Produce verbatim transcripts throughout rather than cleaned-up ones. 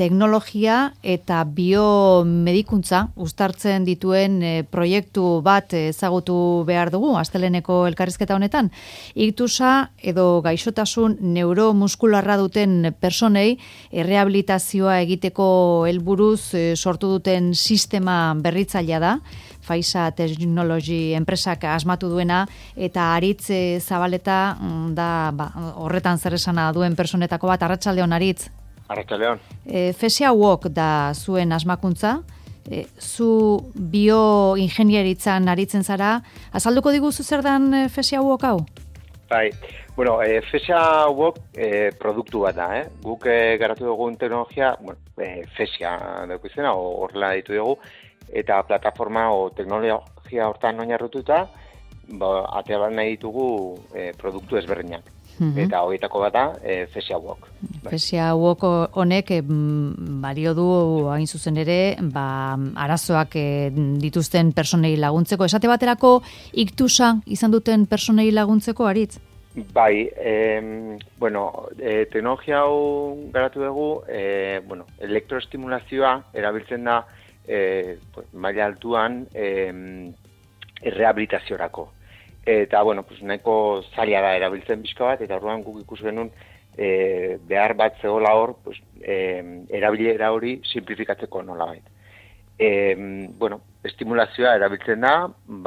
teknologia eta biomedikuntza uztartzen dituen e, proiektu bat ezagutu behar dugu, asteleneko elkarrizketa honetan. Iktusa edo gaixotasun neuromuskularra duten personei errehabilitazioa egiteko helburuz e, sortu duten sistema berritzailea da, Faisa Technology enpresak asmatu duena, eta Aritz e, Zabaleta da ba, horretan zer esana duen personetako bat. Arratsaldeon, Aritz. Arratsaldeon. E, Fesia Walk da zuen asmakuntza, e, zu bioingenieritzan aritzen zara, azalduko diguzu zer dan e, Fesia Walk hau? Bai, bueno, e, Fesia Walk e, produktu bat da, eh? Guk e, garatu dugun teknologia, bueno, e, Fesia dugu izena, horrela ditu dugu, eta plataforma o teknologia hortan oinarrituta, ba, atea nahi ditugu e, produktu ezberdinak. Eta horietako bat da, e, Fesia Walk. Fesia Walk honek e, bario du hain zuzen ere, ba, arazoak e, dituzten personei laguntzeko. Esate baterako iktusa izan duten personei laguntzeko, Aritz? Bai, e, bueno, e, teknologia hau garatu dugu, e, bueno, elektroestimulazioa erabiltzen da e, maila altuan e, rehabilitaziorako. Eta, bueno, pues, nahiko zaila da erabiltzen bizka bat, eta orduan guk ikus genuen e, behar bat zegoela hor, pues, e, erabilera hori simplifikatzeko nolabait. E, bueno, estimulazioa erabiltzen da,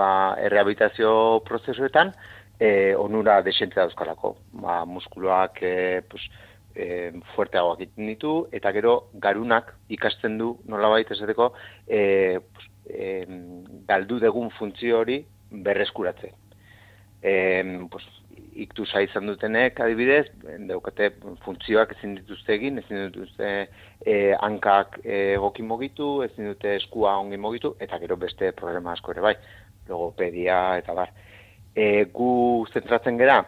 ba, errehabilitazio prozesuetan, e, onura desentzia dauzkalako. Ba, muskuluak e, pues, e, fuerteagoak egiten ditu, eta gero garunak ikasten du nolabait esateko e, pues, e, galdu degun funtzio hori berreskuratzen. E, pues, iktusa izan dutenek, adibidez, daukate funtzioak ezin dituzte egin, ezin dituzte e, hankak egoki mugitu, ezin dute eskua ongi mugitu, eta gero beste problema asko ere bai, logopedia eta bar. E, gu zentratzen gera,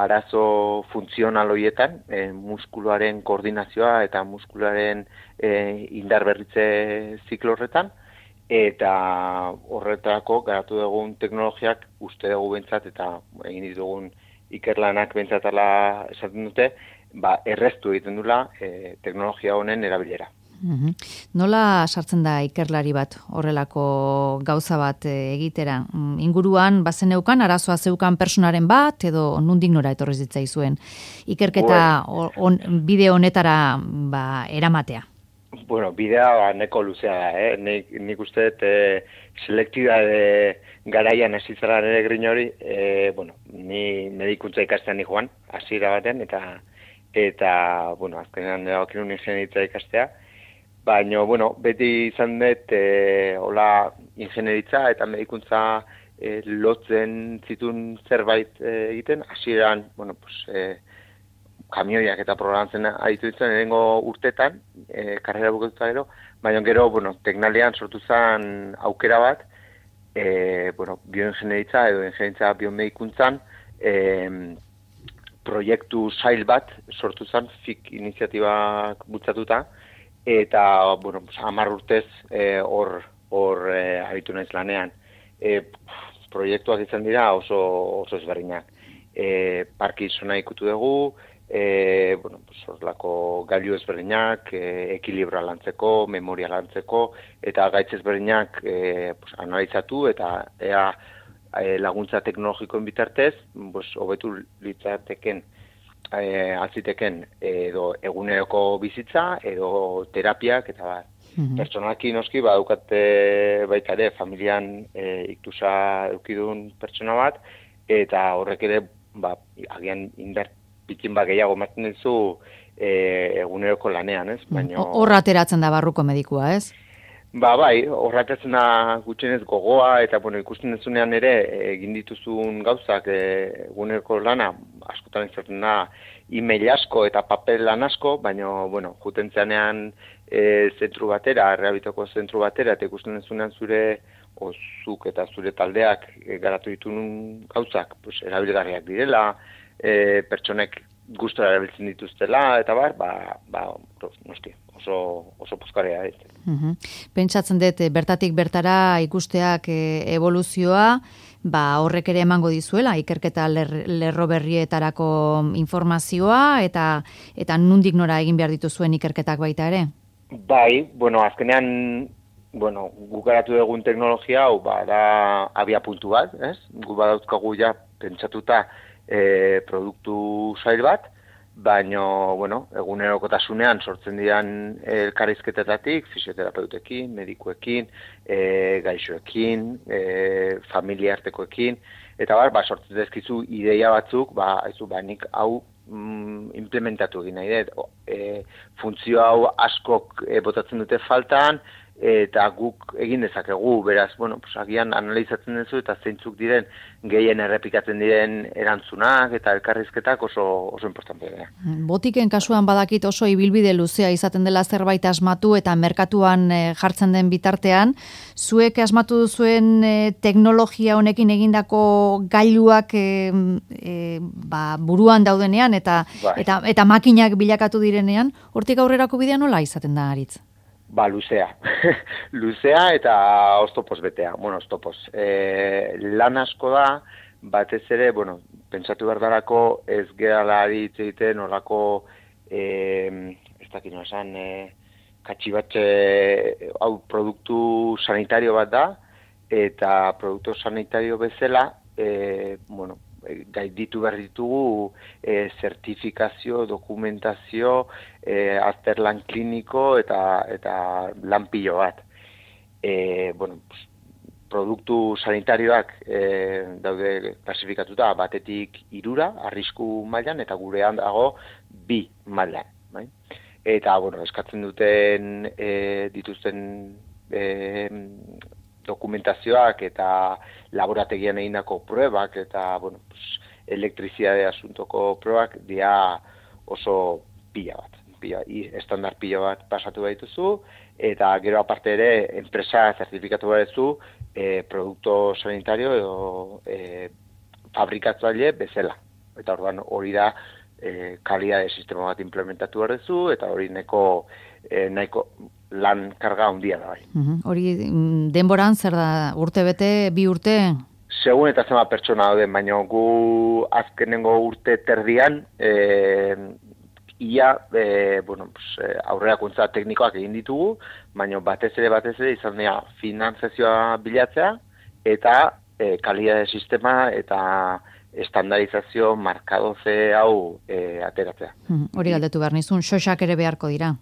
arazo funtzional horietan, e, muskuluaren koordinazioa eta muskuluaren e, indarberritze ziklo horretan, eta horretarako garatu dugun teknologiak uste dugu bentsat eta egin ditugun ikerlanak bentsatala esaten dute, ba, erreztu egiten dula e, teknologia honen erabilera. Uhum. Nola sartzen da ikerlari bat horrelako gauza bat egitera? Inguruan bazeneukan arazoa zeukan personaren bat edo nondik nora etorri zitzaizuen ikerketa on, bide honetara ba, eramatea? Bueno, bidea ba, neko luzea da, eh? Nik, nik uste e, selektibade garaian hasi zara nire grin hori, e, bueno, ni medikuntza ikastean joan, hasiera baten, eta, eta bueno, azkenean erabakin ingeniaritza ikastea, baina, bueno, beti izan dut, e, hola, ingenieritza eta medikuntza e, lotzen zituen zerbait e, egiten, hasieran, bueno, pues, e, kamioiak eta programatzen aditu ditzen erengo urtetan, e, karrera buketuta gero, baina gero, bueno, teknalian sortu zen aukera bat, e, bueno, bioingenieritza edo ingenieritza biomedikuntzan, e, proiektu sail bat sortu zen, F I C iniziatibak bultzatuta, eta, bueno, hamar urtez hor e, hor e, aritu naiz lanean. E, proiektuak izan dira oso, oso ezberdinak. E, Parkinsona ikutu dugu, E, bueno, pues, orlako gailu ezberdinak, e, ekilibra lantzeko, memoria lantzeko, eta gaitz ezberdinak e, pues, analizatu eta ea e, laguntza teknologikoen bitartez, pues, hobetu litzateken, e, alziteken edo eguneroko bizitza, edo terapiak, eta bar. Mm-hmm. Pertsonalki noski, badukate baita ere, familian e, iktusa eukidun pertsona bat, eta horrek ere, ba, agian indar pikin bat gehiago maten dizu e, eguneroko lanean, ez? Baina horra ateratzen da barruko medikua, ez? Ba, bai, horra ateratzen da gutxienez gogoa, eta bueno, ikusten dezunean ere egin dituzun gauzak e, eguneroko lana, askotan izaten da e-mail asko eta papel lan asko, baina, bueno, juten zeanean e, zentru batera, errehabitako zentru batera, eta ikusten dezunean zure ozuk eta zure taldeak e, garatu ditun gauzak, pues, erabilgarriak direla, E, pertsonek gustora erabiltzen dituztela, eta bar, ba, ba, noski, oso, oso pozkarea. Uhum. Pentsatzen dut, bertatik bertara ikusteak evoluzioa, ba, horrek ere emango dizuela, ikerketa ler, lerro berrietarako informazioa, eta eta nundik nora egin behar dituzuen ikerketak baita ere? Bai, bueno, azkenean, bueno, guk garatu egun teknologia hau, ba, da abia puntu bat, ez? Gu badauzkagu ja pentsatuta e, produktu zail bat, baina, bueno, egunerokotasunean sortzen diran elkarrizketetatik, fisioterapeutekin, medikuekin, e, gaixoekin, e, familia artekoekin, eta bar, ba, sortzen dezkizu ideia batzuk, ba, aizu, ba, nik hau mm, implementatu egin nahi dut. E, funtzio hau askok e, botatzen dute faltan, eta guk egin dezakegu, beraz, bueno, pues, agian analizatzen duzu eta zeintzuk diren gehien errepikatzen diren erantzunak eta elkarrizketak oso oso importante dira. Botiken kasuan badakit oso ibilbide luzea izaten dela zerbait asmatu eta merkatuan e, jartzen den bitartean, zuek asmatu duzuen e, teknologia honekin egindako gailuak e, e, ba, buruan daudenean eta, bai. eta eta makinak bilakatu direnean, hortik aurrerako bidea nola izaten da, Aritz? Ba, luzea. Luzea eta oztopoz betea. Bueno, oztopoz. E, lan asko da, batez ere, bueno, pentsatu behar darako ez gerala hitz egiten olako, e, ez dakit nola esan, e, katxibatxe, hau produktu sanitario bat da, eta produktu sanitario bezala, e, bueno, gaiditu behar ditugu e, zertifikazio, dokumentazio, e, azterlan kliniko eta eta lan pilo bat. E, bueno, produktu sanitarioak e, daude klasifikatuta batetik hirura, arrisku mailan, eta gurean dago bi mailan. Bai? Eta, bueno, eskatzen duten e, dituzten e, dokumentazioak eta laborategian egindako pruebak eta, bueno, pues, elektrizidade asuntoko probak dira oso pila bat. Pila, estandar pila bat pasatu baituzu, eta gero aparte ere enpresa zertifikatu badezu e, produkto sanitario edo e, fabrikatzaile bezala. Eta orduan hori da e, kalidade sistema bat implementatu badezu, eta hori neko, e, nahiko lan karga handia da bai. Uhum. Hori denboran zer da, urte bete, bi urte? Segun eta zema pertsona dauden, baina gu azkenengo urte terdian, e, ia, e, bueno, pues, aurrerakuntza teknikoak egin ditugu, baina batez ere batez ere izan dira finantzazioa bilatzea, eta e, kalidade sistema eta estandarizazio markadoze hau e, ateratzea. Uhum. Hori galdetu behar nizun, xoxak ere beharko dira.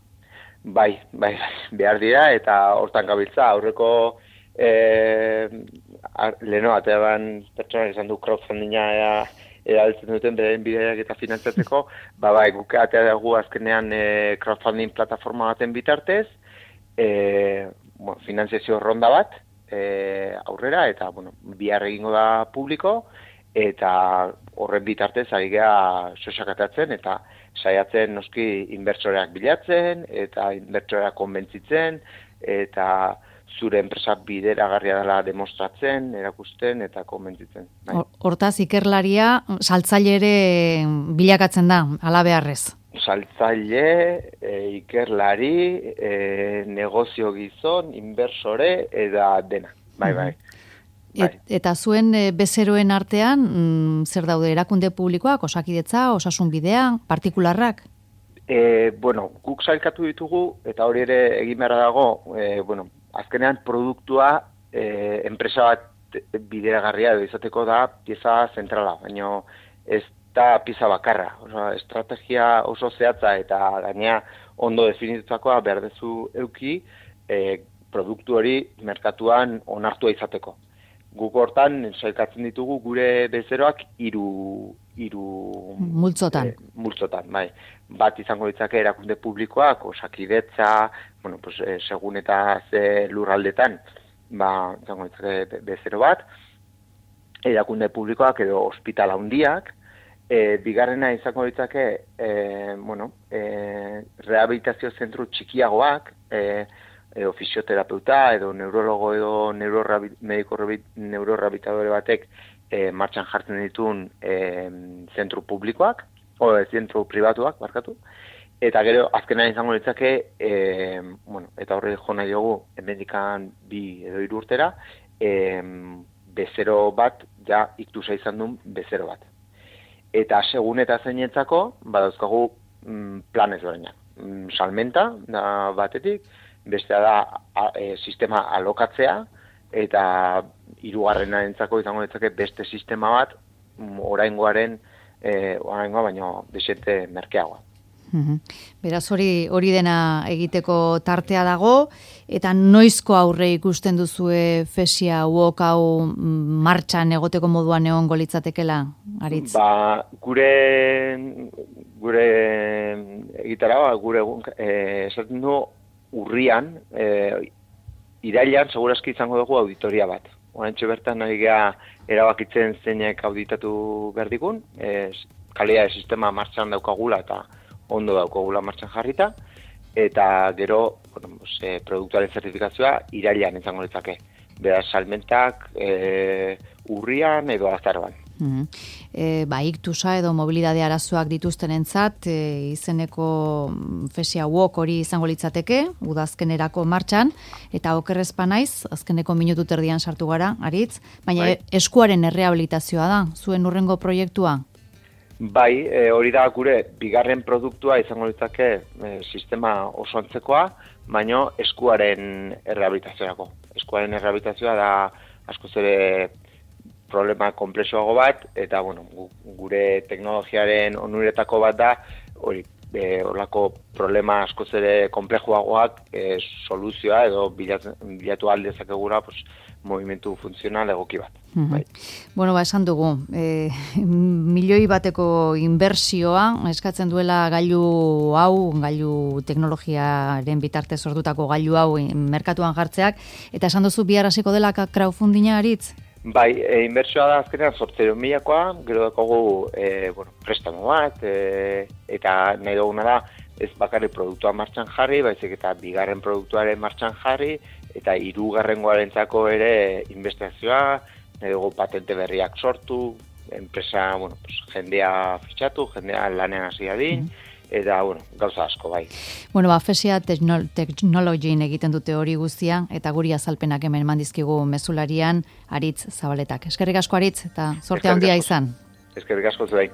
Bai, bai, behar dira, eta hortan gabiltza, aurreko e, leheno, ateaban pertsonak izan du crowdfundinga erabiltzen duten beren bideak eta finantzatzeko, ba, bai, guk atea dugu azkenean e, crowdfunding plataforma baten bitartez, e, bueno, finanziazio ronda bat e, aurrera, eta, bueno, bihar egingo da publiko, eta horren bitartez ari geha sosakatatzen, eta saiatzen noski inbertsoreak bilatzen, eta inbertsoreak konbentzitzen, eta zure enpresa bideragarria dela demostratzen, erakusten eta konbentzitzen. Bai. Hortaz, ikerlaria saltzaile ere bilakatzen da, ala beharrez. Saltzaile, e, ikerlari, e, negozio gizon, inbersore, eta dena. Bai, bai. Et, eta zuen e, bezeroen artean, mm, zer daude erakunde publikoak, osakidetza, osasun bidean, partikularrak? E, bueno, guk sailkatu ditugu, eta hori ere egin beharra dago, e, bueno, azkenean produktua e, enpresa bat bideragarria edo izateko da pieza zentrala, baina ez da pieza bakarra. Oso, estrategia oso zehatza eta gainea ondo definitutakoa behar dezu euki e, produktu hori merkatuan onartua izateko. Guk hortan sailkatzen ditugu gure bezeroak hiru hiru multzotan. E, multzotan, bai. Bat izango ditzake erakunde publikoak, osakidetza, bueno, pues, e, segun eta ze lurraldetan, ba, izango ditzake bezero bat, erakunde publikoak edo ospitala handiak, e, bigarrena izango ditzake, e, bueno, e, rehabilitazio zentru txikiagoak, e, edo fisioterapeuta, edo neurologo, edo mediko neurorehabilitadore batek e, martxan jartzen dituen e, zentru publikoak, o zentru pribatuak, barkatu, Eta gero, azkenean izango litzake, e, bueno, eta horre jo nahi dugu, hemendikan bi edo hiru urtera, e, bezero bat, ja iktusa izan duen bezero bat. Eta segun eta zeinetzako, badauzkagu mm, plan ezberdinak. Mm, salmenta da batetik, bestea da a, e, sistema alokatzea, eta hirugarrenarentzako izango litzake beste sistema bat, mm, oraingoaren, e, oraingoa baino desente merkeagoa. Beraz, hori hori dena egiteko tartea dago, eta noizko aurre ikusten duzue fesia uok hau martxan egoteko moduan egongo litzatekela, Aritz? Ba, gure gure egitara, gure eh, esaten du urrian, eh, irailean segurazki izango dugu auditoria bat. Oraintxe bertan ari gea erabakitzen zeinek auditatu behar digun, eh, kalidade sistema martxan daukagula eta ondo daukagula martxan jarrita, eta gero, bueno, pues, eh, produktuaren zertifikazioa irailean izango litzake. Beraz, salmentak eh, urrian edo azaroan. Mm-hmm. E, ba, iktusa edo mobilidade arazoak dituztenentzat e, izeneko fesia uok hori izango litzateke, udazkenerako martxan, eta okerrezpa naiz, azkeneko minutu terdian sartu gara, Aritz, baina bai. Eskuaren errehabilitazioa da, zuen urrengo proiektua? Bai, e, hori da gure bigarren produktua izango litzake e, sistema oso antzekoa, baino eskuaren errehabilitaziorako. Eskuaren errehabilitazioa da askoz ere problema komplexuago bat, eta bueno, gure teknologiaren onuretako bat da, hori, e, horlako problema askoz ere komplejuagoak e, soluzioa edo bilatu, bilatu aldezakegura, pues, movimentu funtzional egoki bat. Mm-hmm. Bai. Bueno, ba, esan dugu, e, milioi bateko inbertsioa eskatzen duela gailu hau, gailu teknologiaren bitartez sortutako gailu hau merkatuan jartzeak, eta esan duzu bihar hasiko dela crowdfundinga, Aritz? Bai, e, inbertsioa da azkenean zortziehun milakoa, gero dakogu e, bueno, prestamo bat, e, eta nahi duguna da ez bakarrik produktua martxan jarri, baizik eta bigarren produktuaren martxan jarri, eta hirugarrengoarentzako ere investiazioa, nahi dugu patente berriak sortu, enpresa, bueno, pues, jendea fitxatu, jendea lanean hasi dadin, mm-hmm. Eta, bueno, gauza asko, bai. Bueno, ba, Fesia Technologyin egiten dute hori guztia, eta guri azalpenak hemen mandizkigu mezularian, Aritz Zabaletak. Eskerrik asko, Aritz, eta sorte handia izan. Eskerrik asko zuei.